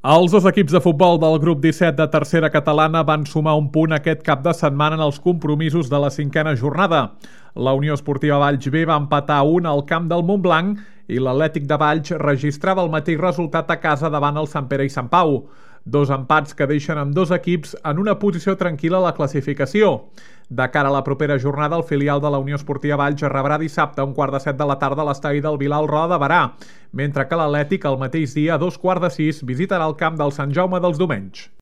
Els dos equips de futbol del grup 17 de tercera catalana van sumar un punt aquest cap de setmana en els compromisos de la cinquena jornada. La Unió Esportiva Valls B va empatar 1 al camp del Montblanc i l'Atlètic de Valls registrava el mateix resultat a casa davant el Sant Pere i Sant Pau. Dos empats que deixen amb dos equips en una posició tranquil·la a la classificació. De cara a la propera jornada, el filial de la Unió Esportiva Valls rebrà dissabte a 5:45 de la tarda a l'estadi del Vilar Roda de Berà, mentre que l'Atlètic el mateix dia a 5:15 visitarà el camp del Sant Jaume dels Domenys.